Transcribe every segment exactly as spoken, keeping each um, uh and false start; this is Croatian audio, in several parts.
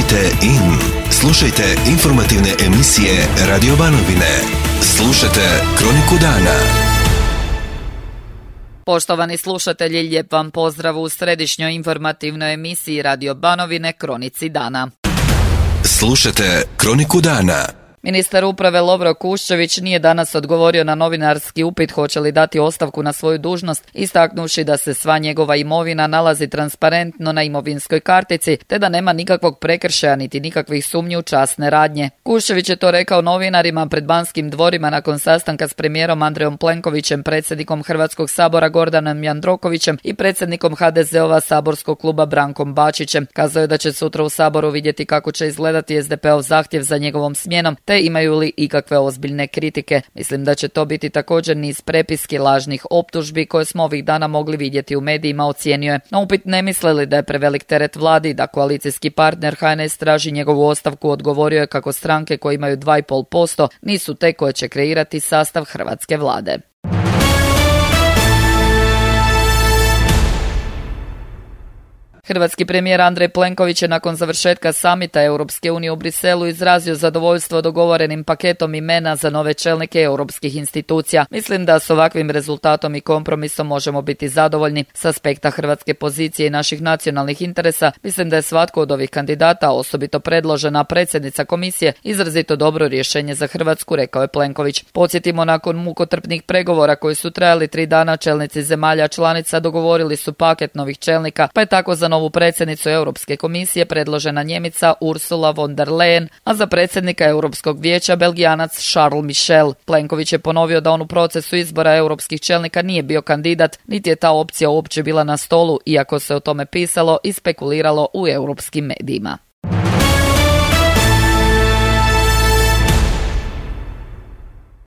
Kliknite in. Slušajte informativne emisije Radio Banovine. Slušajte Kroniku dana. Poštovani slušatelji, lijep vam pozdrav u središnjoj informativnoj emisiji Radio Banovine Kronici dana. Slušajte Kroniku dana. Ministar uprave Lovro Kuščević nije danas odgovorio na novinarski upit hoće li dati ostavku na svoju dužnost, istaknuši da se sva njegova imovina nalazi transparentno na imovinskoj kartici, te da nema nikakvog prekršaja niti nikakvih sumnji u časne radnje. Kuščević je to rekao novinarima pred Banskim dvorima nakon sastanka s premijerom Andrejom Plenkovićem, predsjednikom Hrvatskog sabora Gordanom Jandrokovićem i predsjednikom ha de ze ova saborskog kluba Brankom Bačićem. Kazao je da će sutra u Saboru vidjeti kako će izgledati es de pe ov zahtjev za njegovom smjenom, te imaju li ikakve ozbiljne kritike. Mislim da će to biti također niz prepiski lažnih optužbi koje smo ovih dana mogli vidjeti u medijima, ocijenio je. Na upit ne misle li da je prevelik teret vladi, da koalicijski partner ha en es traži njegovu ostavku, odgovorio je kako stranke koje imaju dva i pol posto nisu te koje će kreirati sastav hrvatske vlade. Hrvatski premijer Andrej Plenković je nakon završetka samita Europske unije u Briselu izrazio zadovoljstvo dogovorenim paketom imena za nove čelnike europskih institucija. Mislim da s ovakvim rezultatom i kompromisom možemo biti zadovoljni. S aspekta hrvatske pozicije i naših nacionalnih interesa, mislim da je svatko od ovih kandidata, osobito predložena predsjednica komisije, izrazito dobro rješenje za Hrvatsku, rekao je Plenković. Podsjetimo, nakon mukotrpnih pregovora koji su trajali tri dana, čelnici zemalja članica dogovorili su paket novih čelnika, pa je tako za novu predsjednicu Europske komisije predložena Njemica Ursula von der Leyen, a za predsjednika Europskog vijeća Belgijanac Charles Michel. Plenković je ponovio da on u procesu izbora europskih čelnika nije bio kandidat, niti je ta opcija uopće bila na stolu, iako se o tome pisalo i spekuliralo u europskim medijima.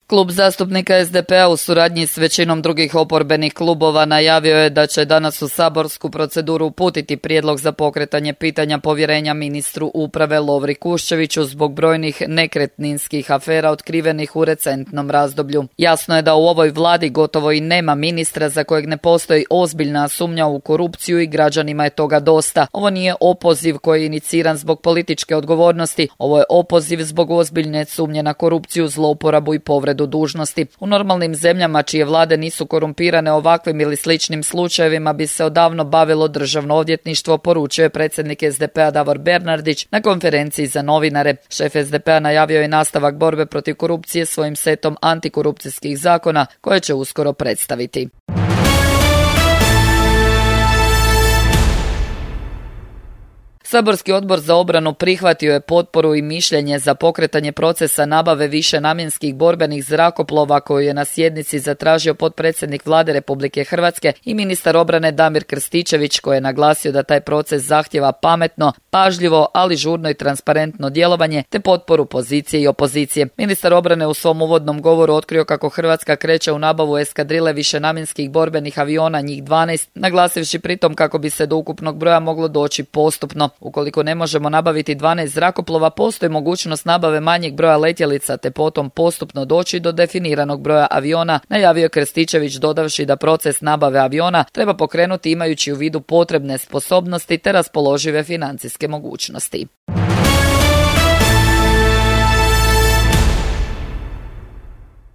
Klub zastupnika es de pe a u suradnji s većinom drugih oporbenih klubova najavio je da će danas u saborsku proceduru uputiti prijedlog za pokretanje pitanja povjerenja ministru uprave Lovri Kuščeviću zbog brojnih nekretninskih afera otkrivenih u recentnom razdoblju. Jasno je da u ovoj vladi gotovo i nema ministra za kojeg ne postoji ozbiljna sumnja u korupciju i građanima je toga dosta. Ovo nije opoziv koji je iniciran zbog političke odgovornosti, ovo je opoziv zbog ozbiljne sumnje na korupciju, zlouporabu i povredu dužnosti. U normalnim zemljama čije vlade nisu korumpirane ovakvim ili sličnim slučajevima bi se odavno bavilo državno odvjetništvo, poručio je predsjednik es de pe a Davor Bernardić na konferenciji za novinare. Šef es de pe a najavio je nastavak borbe protiv korupcije svojim setom antikorupcijskih zakona koje će uskoro predstaviti. Saborski odbor za obranu prihvatio je potporu i mišljenje za pokretanje procesa nabave višenamjenskih borbenih zrakoplova koju je na sjednici zatražio potpredsjednik Vlade Republike Hrvatske i ministar obrane Damir Krstičević, koji je naglasio da taj proces zahtjeva pametno, pažljivo, ali žurno i transparentno djelovanje te potporu pozicije i opozicije. Ministar obrane u svom uvodnom govoru otkrio kako Hrvatska kreće u nabavu eskadrile višenamjenskih borbenih aviona, njih dvanaest, naglasivši pritom kako bi se do ukupnog broja moglo doći postupno. Ukoliko ne možemo nabaviti dvanaest zrakoplova, postoji mogućnost nabave manjeg broja letjelica te potom postupno doći do definiranog broja aviona, najavio Krstičević dodavši da proces nabave aviona treba pokrenuti imajući u vidu potrebne sposobnosti te raspoložive financijske mogućnosti.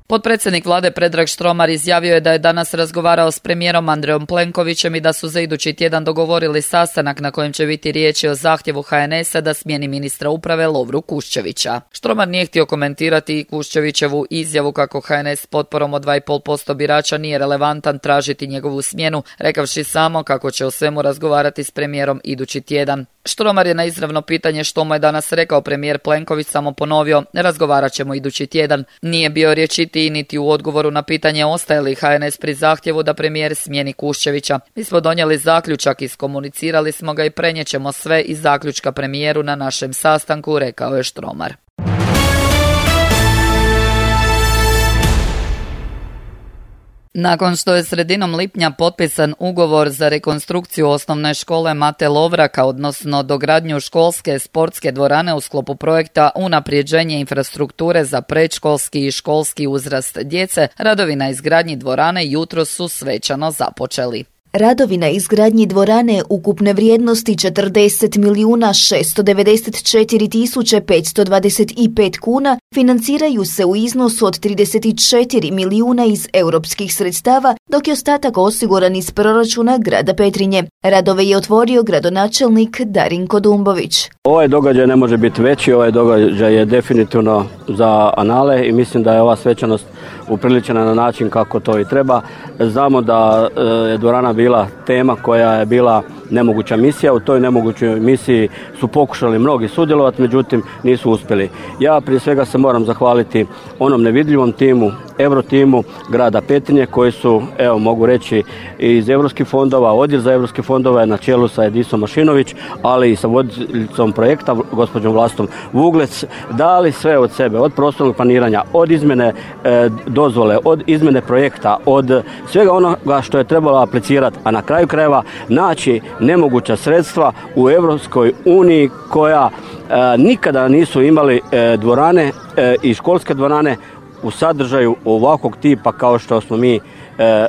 Potpredsjednik vlade Predrag Štromar izjavio je da je danas razgovarao s premijerom Andrejom Plenkovićem i da su za idući tjedan dogovorili sastanak na kojem će biti riječi o zahtjevu ha en es a da smijeni ministra uprave Lovru Kuščevića. Štromar nije htio komentirati i Kuščevićevu izjavu kako ha en es s potporom od dva i pol posto birača nije relevantan tražiti njegovu smjenu, rekavši samo kako će o svemu razgovarati s premijerom idući tjedan. Štromar je na izravno pitanje što mu je danas rekao premijer Plenković samo ponovio: razgovarat ćemo idući tjedan. Nije bio riječitiji niti u odgovoru na pitanje ostaje li ha en es pri zahtjevu da premijer smijeni Kuščevića. Mi smo donijeli zaključak, iskomunicirali smo ga i prenijećemo sve iz zaključka premijeru na našem sastanku, rekao je Štromar. Nakon što je sredinom lipnja potpisan ugovor za rekonstrukciju osnovne škole Mate Lovraka, odnosno dogradnju školske sportske dvorane u sklopu projekta Unaprijeđenje infrastrukture za predškolski i školski uzrast djece, radovi na izgradnji dvorane jutros su svečano započeli. Radovi na izgradnji dvorane ukupne vrijednosti četrdeset milijuna šesto devedeset četiri tisuće petsto dvadeset pet kuna financiraju se u iznosu od trideset četiri milijuna iz europskih sredstava, dok je ostatak osiguran iz proračuna grada Petrinje. Radove je otvorio gradonačelnik Darinko Dumbović. Ovaj događaj ne može biti veći, ovaj događaj je definitivno za anale i mislim da je ova svečanost upriličena na način kako to i treba. Znamo da je dvorana bila tema koja je bila nemoguća misija. U toj nemogućoj misiji su pokušali mnogi sudjelovati, međutim nisu uspjeli. Ja prije svega se moram zahvaliti onom nevidljivom timu, Euro timu grada Petrinje koji su, evo mogu reći, iz europskih fondova, odjel za europske fondove je na čelu sa Edisom Mašinović, ali i sa voditeljicom projekta, gospođom Vlastom Vuglec, dali sve od sebe, od prostornog planiranja, od izmjene e, dozvole, od izmjene projekta, od svega onoga što je trebalo aplicirati, a na kraju krajeva naći nemoguća sredstva u Europskoj uniji koja e, nikada nisu imali e, dvorane e, i školske dvorane u sadržaju ovakvog tipa kao što smo mi e,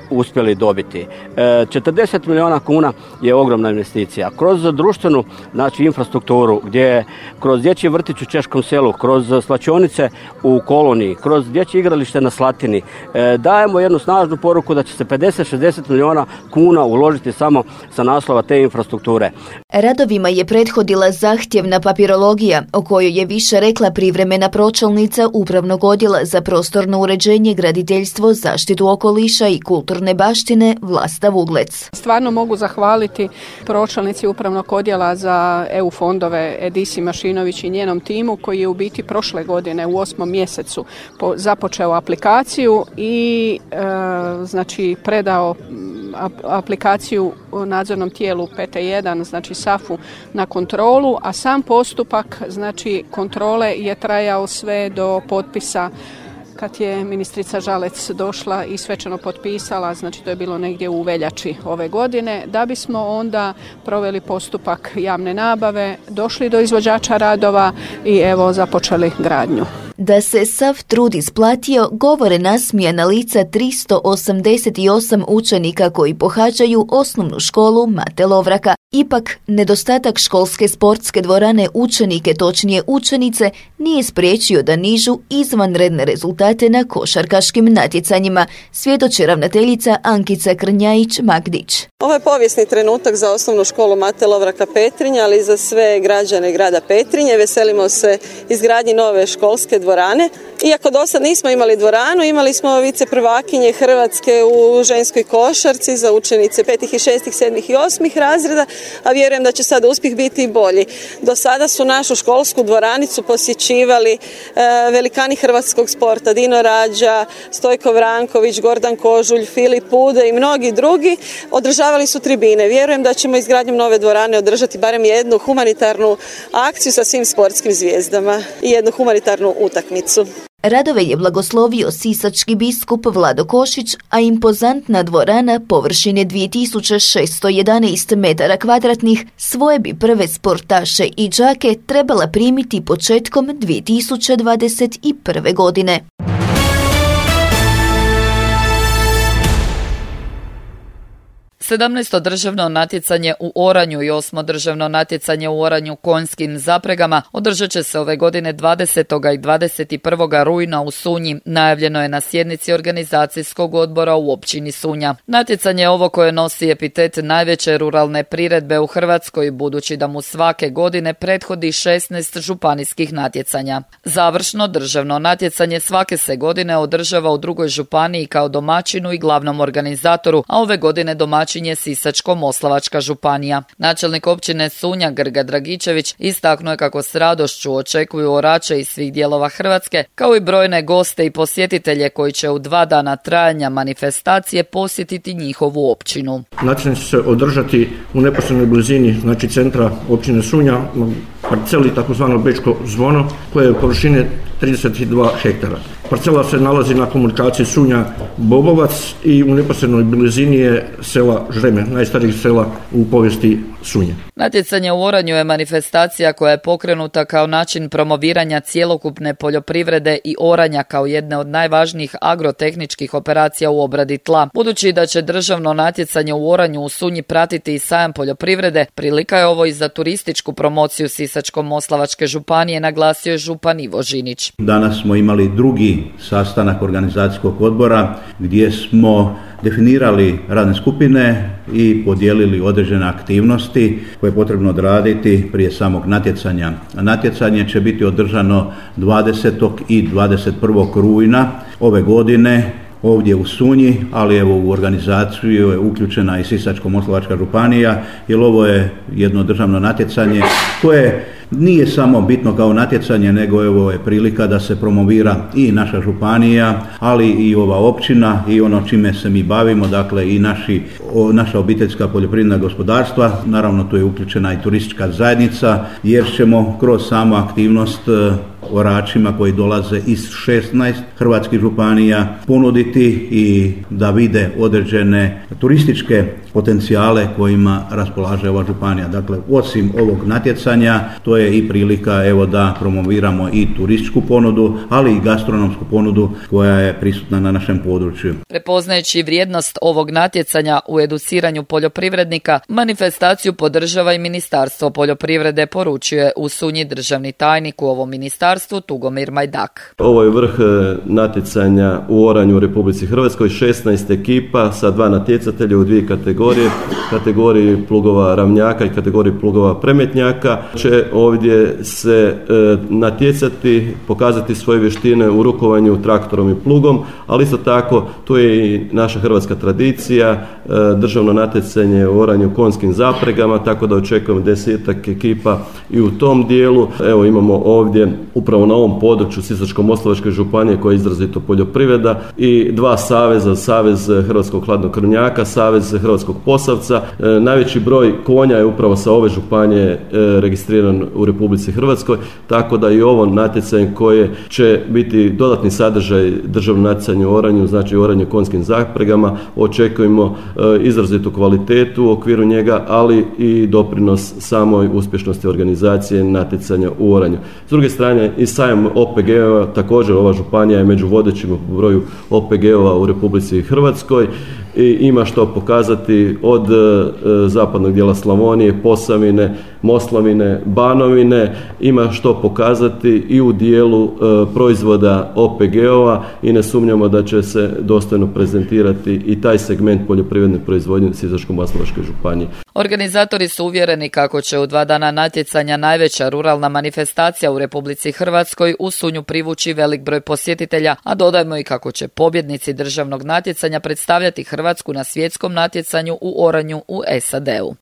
uspjeli dobiti. E, četrdeset milijuna kuna je ogromna investicija. Kroz društvenu znači, infrastrukturu, gdje kroz dječji vrtić u Češkom selu, kroz slačionice u Koloniji, kroz dječje igralište na Slatini, e, dajemo jednu snažnu poruku da će se pedeset do šezdeset milijuna kuna uložiti samo sa naslova te infrastrukture. Radovima je prethodila zahtjevna papirologija, o kojoj je više rekla privremena pročelnica Upravnog odjela za prostorno uređenje, graditeljstvo, zaštitu okoliša i kulturne baštine Vlasta Vuglec. Stvarno mogu zahvaliti pročelnici Upravnog odjela za E U fondove Edisi Mašinović i njenom timu koji je u biti prošle godine u osmom mjesecu započeo aplikaciju i e, znači predao aplikaciju nadzornom tijelu P T jedan, znači S A F U na kontrolu, a sam postupak znači kontrole je trajao sve do potpisa kad je ministrica Žalec došla i svečano potpisala, znači to je bilo negdje u veljači ove godine, da bismo onda proveli postupak javne nabave, došli do izvođača radova i evo započeli gradnju. Da se sav trud isplatio, govore nasmijana lica tristo osamdeset osam učenika koji pohađaju osnovnu školu Mate Lovraka. Ipak, nedostatak školske sportske dvorane učenike, točnije učenice, nije spriječio da nižu izvanredne rezultate na košarkaškim natjecanjima, svjedoči ravnateljica Ankica Krnjajić-Magdić. Ovo je povijesni trenutak za osnovnu školu Mate Lovraka Petrinja, ali i za sve građane grada Petrinje. Veselimo se izgradnji nove školske dvorane. Iako do sad nismo imali dvoranu, imali smo viceprvakinje Hrvatske u ženskoj košarci za učenice petih i šestih, sedmih i osmih razreda, a vjerujem da će sada uspjeh biti i bolji. Do sada su našu školsku dvoranicu posjećivali e, velikani hrvatskog sporta, Dino Rađa, Stojko Vranković, Gordan Kožulj, Filip Pude i mnogi drugi. Održavali su tribine. Vjerujem da ćemo izgradnjom nove dvorane održati barem jednu humanitarnu akciju sa svim sportskim zvijezdama i jednu humanitarnu utakmicu. Radove je blagoslovio sisački biskup Vlado Košić, a impozantna dvorana površine dvije tisuće šesto jedanaest metara kvadratnih svoje bi prve sportaše i đake trebala primiti početkom dvije tisuće dvadeset prve. godine. sedamnaesto državno natjecanje u oranju i osmo državno natjecanje u oranju konjskim zapregama održat će se ove godine dvadesetog i dvadeset prvog rujna u Sunji, najavljeno je na sjednici organizacijskog odbora u općini Sunja. Natjecanje ovo koje nosi epitet najveće ruralne priredbe u Hrvatskoj, budući da mu svake godine prethodi šesnaest županijskih natjecanja. Završno državno natjecanje svake se godine održava u drugoj županiji kao domaćinu i glavnom organizatoru, a ove godine domaćin je Sisačko-moslavačka županija. Načelnik općine Sunja Grga Dragičević istaknuo je kako s radošću očekuju orače iz svih dijelova Hrvatske, kao i brojne goste i posjetitelje koji će u dva dana trajanja manifestacije posjetiti njihovu općinu. Natjecanje će se održati u neposrednoj blizini, znači centra općine Sunja, parceli takozvano Bečko zvono, koje je površine trideset dva hektara. Parcela se nalazi na komunikaciji Sunja-Bobovac i u neposrednoj blizini je sela Žreme, najstarijih sela u povijesti Sunje. Natjecanje u oranju je manifestacija koja je pokrenuta kao način promoviranja cjelokupne poljoprivrede i oranja kao jedne od najvažnijih agrotehničkih operacija u obradi tla. Budući da će državno natjecanje u oranju u Sunji pratiti i sajam poljoprivrede, prilika je ovo i za turističku promociju Sisačko-moslavačke županije, naglasio je župan Ivo Žinić. Danas smo imali drugi sastanak organizacijskog odbora gdje smo definirali radne skupine i podijelili određene aktivnosti koje je potrebno odraditi prije samog natjecanja. Natjecanje će biti održano dvadesetog i dvadeset prvog rujna ove godine ovdje u Sunji, ali evo u organizaciju je uključena i Sisačko-moslavačka županija, jer ovo je jedno državno natjecanje koje nije samo bitno kao natjecanje, nego evo je prilika da se promovira i naša županija, ali i ova općina i ono čime se mi bavimo, dakle i naši, o, naša obiteljska poljoprivredna gospodarstva. Naravno tu je uključena i turistička zajednica, jer ćemo kroz samu aktivnost oračima koji dolaze iz šesnaest hrvatskih županija ponuditi i da vide određene turističke potencijale kojima raspolaže ova županija. Dakle, osim ovog natjecanja, to je i prilika evo da promoviramo i turističku ponudu, ali i gastronomsku ponudu koja je prisutna na našem području. Prepoznajući vrijednost ovog natjecanja u educiranju poljoprivrednika, manifestaciju podržava i Ministarstvo poljoprivrede, poručuje u Sunji državni tajnik u ovom ministarstvu Tugomir Majdak. Ovo je vrh natjecanja u oranju u Republici Hrvatskoj, šesnaest ekipa sa dva natjecatelja u dvije kategorije, kategoriji plugova ravnjaka i kategoriji plugova premetnjaka. Će ovdje se e, natjecati, pokazati svoje vještine u rukovanju traktorom i plugom, ali isto tako tu je i naša hrvatska tradicija, e, državno natjecanje u oranju konjskim zapregama, tako da očekujemo desetak ekipa i u tom dijelu. Evo imamo ovdje upravo na ovom području Sisačko-moslavačke županije koja je izrazito poljoprivreda i dva saveza, Savez hrvatskog hladnokrvnjaka, Savez hrvatskog posavca. E, najveći broj konja je upravo sa ove županije e, registriran u Republici Hrvatskoj, tako da i ovo natjecanje koje će biti dodatni sadržaj državnog natjecanja u oranju, znači oranje konjskim zapregama, očekujemo e, izrazitu kvalitetu u okviru njega, ali i doprinos samoj uspješnosti organizacije natjecanja u oranju. S druge strane, i sajam O P G-ova, također ova županija je među vodećim po broju O P G-ova u Republici Hrvatskoj i ima što pokazati od e, zapadnog dijela Slavonije, Posavine, Moslavine, Banovine, ima što pokazati i u dijelu e, proizvoda O P G-ova i ne sumnjamo da će se dostojno prezentirati i taj segment poljoprivredne proizvodnje Sisačko-moslavačke županije. Organizatori su uvjereni kako će u dva dana natjecanja najveća ruralna manifestacija u Republici Hrvatskoj u Sunju privući velik broj posjetitelja, a dodajmo i kako će pobjednici državnog natjecanja predstavljati Hrvatsku na svjetskom natjecanju u oranju u S A D-u.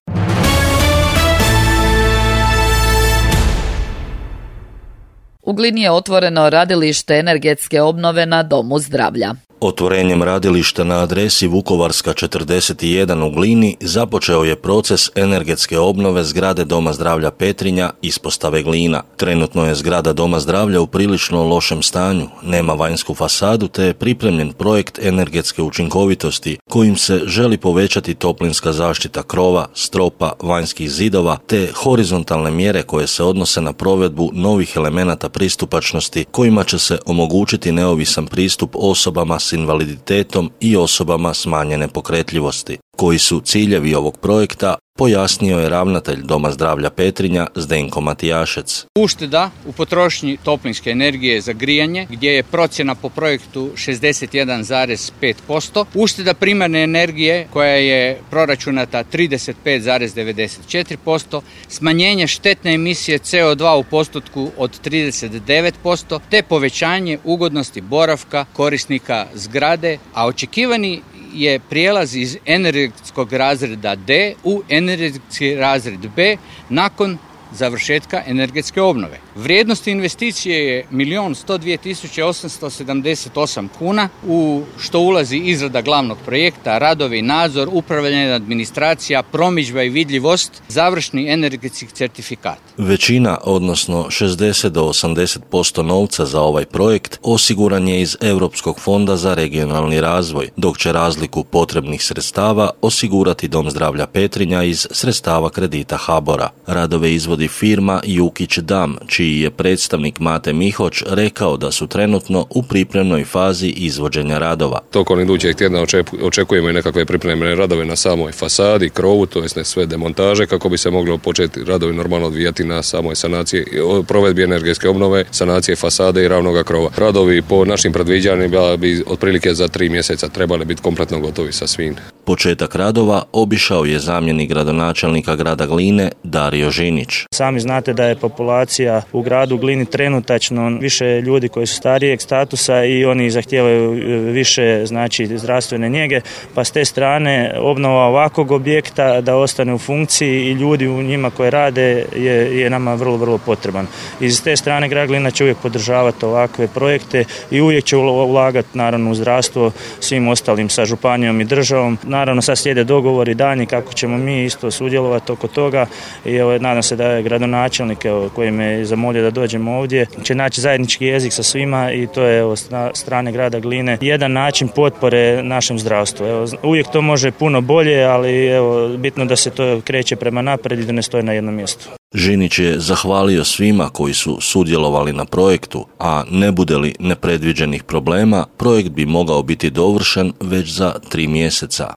U Glini je otvoreno radilište energetske obnove na Domu zdravlja. Otvorenjem radilišta na adresi Vukovarska četrdeset jedan u Glini započeo je proces energetske obnove zgrade Doma zdravlja Petrinja, ispostave Glina. Trenutno je zgrada Doma zdravlja u prilično lošem stanju, nema vanjsku fasadu te je pripremljen projekt energetske učinkovitosti kojim se želi povećati toplinska zaštita krova, stropa, vanjskih zidova te horizontalne mjere koje se odnose na provedbu novih elemenata pristupačnosti kojima će se omogućiti neovisan pristup osobama s invaliditetom i osobama smanjene pokretljivosti. Koji su ciljevi ovog projekta, pojasnio je ravnatelj Doma zdravlja Petrinja Zdenko Matijašec. Ušteda u potrošnji toplinske energije za grijanje, gdje je procjena po projektu šezdeset jedan zarez pet posto. Ušteda primarne energije koja je proračunata trideset pet zarez devedeset četiri posto. Smanjenje štetne emisije C O dva u postotku od trideset devet posto, te povećanje ugodnosti boravka korisnika zgrade, a očekivani je prijelaz iz energetskog razreda D u energetski razred B nakon završetka energetske obnove. Vrijednost investicije je milion sto dvije tisuće osamsto sedamdeset osam kuna, u što ulazi izrada glavnog projekta, radovi, nadzor, upravljanje, administracija, promidžba i vidljivost, završni energetski certifikat. Većina, odnosno šezdeset do osamdeset posto novca za ovaj projekt osiguran je iz Europskog fonda za regionalni razvoj, dok će razliku potrebnih sredstava osigurati Dom zdravlja Petrinja iz sredstava kredita HABOR-a. Radove izvodi firma Jukić Dam, čiji je predstavnik Mate Mihoć rekao da su trenutno u pripremnoj fazi izvođenja radova. Tokom idućeg tjedna očekujemo i nekakve pripremne radove na samoj fasadi, krovu, to jest ne sve demontaže, kako bi se moglo početi radovi normalno odvijati na samoj sanaciji, provedbi energetske obnove, sanacije fasade i ravnoga krova. Radovi po našim predviđanjima bi otprilike za tri mjeseca trebali biti kompletno gotovi sa svim. Početak radova obišao je zamjenik gradonačelnika grada Gline Dario Žinić. Sami znate da je populacija u gradu Glini trenutačno više ljudi koji su starijeg statusa i oni zahtijevaju više znači zdravstvene njege, pa s te strane obnova ovakvog objekta da ostane u funkciji i ljudi u njima koji rade je, je nama vrlo, vrlo potreban. I s te strane grad Glina će uvijek podržavati ovakve projekte i uvijek će ulagati naravno u zdravstvo svim ostalim sa županijom i državom. Naravno sad slijede dogovori danji kako ćemo mi isto sudjelovati oko toga i evo, nadam se da je gradonačelnik evo, koji me zamolio da dođemo ovdje će naći zajednički jezik sa svima i to je evo, s strane grada Gline jedan način potpore našem zdravstvu. Evo, uvijek to može puno bolje, ali evo, bitno da se to kreće prema naprijed i da ne stoji na jednom mjestu. Žinić je zahvalio svima koji su sudjelovali na projektu, a ne bude li nepredviđenih problema, projekt bi mogao biti dovršen već za tri mjeseca.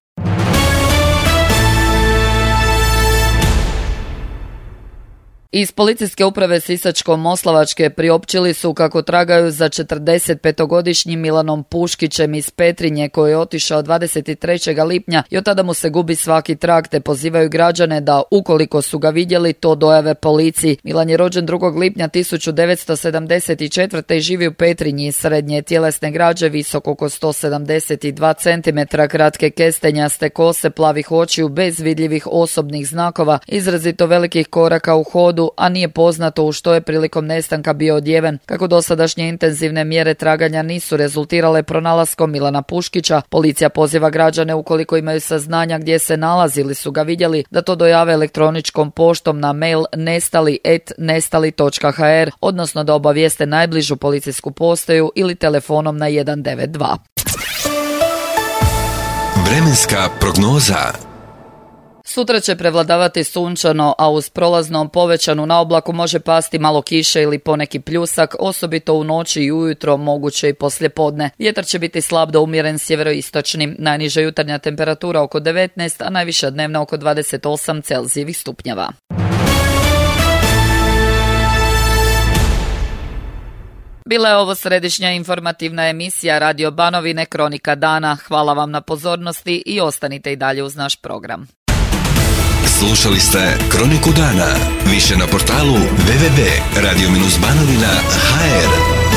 Iz policijske uprave Sisačko-moslavačke priopćili su kako tragaju za četrdesetpetogodišnjim Milanom Puškićem iz Petrinje koji je otišao dvadeset trećeg lipnja i od tada mu se gubi svaki trag, te pozivaju građane da ukoliko su ga vidjeli to dojave policiji. Milan je rođen drugog lipnja tisuću devetsto sedamdeset četvrte i živi u Petrinji, srednje tjelesne građe, visok oko sto sedamdeset dva centimetra, kratke kestenjaste kose, plavih očiju bez vidljivih osobnih znakova, izrazito velikih koraka u hodu, a nije poznato u što je prilikom nestanka bio odjeven. Kako dosadašnje intenzivne mjere traganja nisu rezultirale pronalaskom Milana Puškića, policija poziva građane ukoliko imaju saznanja gdje se nalazi ili su ga vidjeli da to dojave elektroničkom poštom na mail nestali et nestali točka ha er, odnosno da obavijeste najbližu policijsku postaju ili telefonom na jedan devet dva. Vremenska prognoza. Sutra će prevladavati sunčano, a uz prolazno povećanu na oblaku može pasti malo kiše ili poneki pljusak, osobito u noći i ujutro, moguće i poslijepodne. Vjetar će biti slab do umjeren sjeveroistočnim, najniža jutarnja temperatura oko devetnaest, a najviša dnevna oko dvadeset osam Celzijevih stupnjeva. Bila je ovo središnja informativna emisija Radio Banovine Kronika dana. Hvala vam na pozornosti i ostanite i dalje uz naš program. Slušali ste Kroniku dana. Više na portalu w w w tačka radio banovina tačka ha er.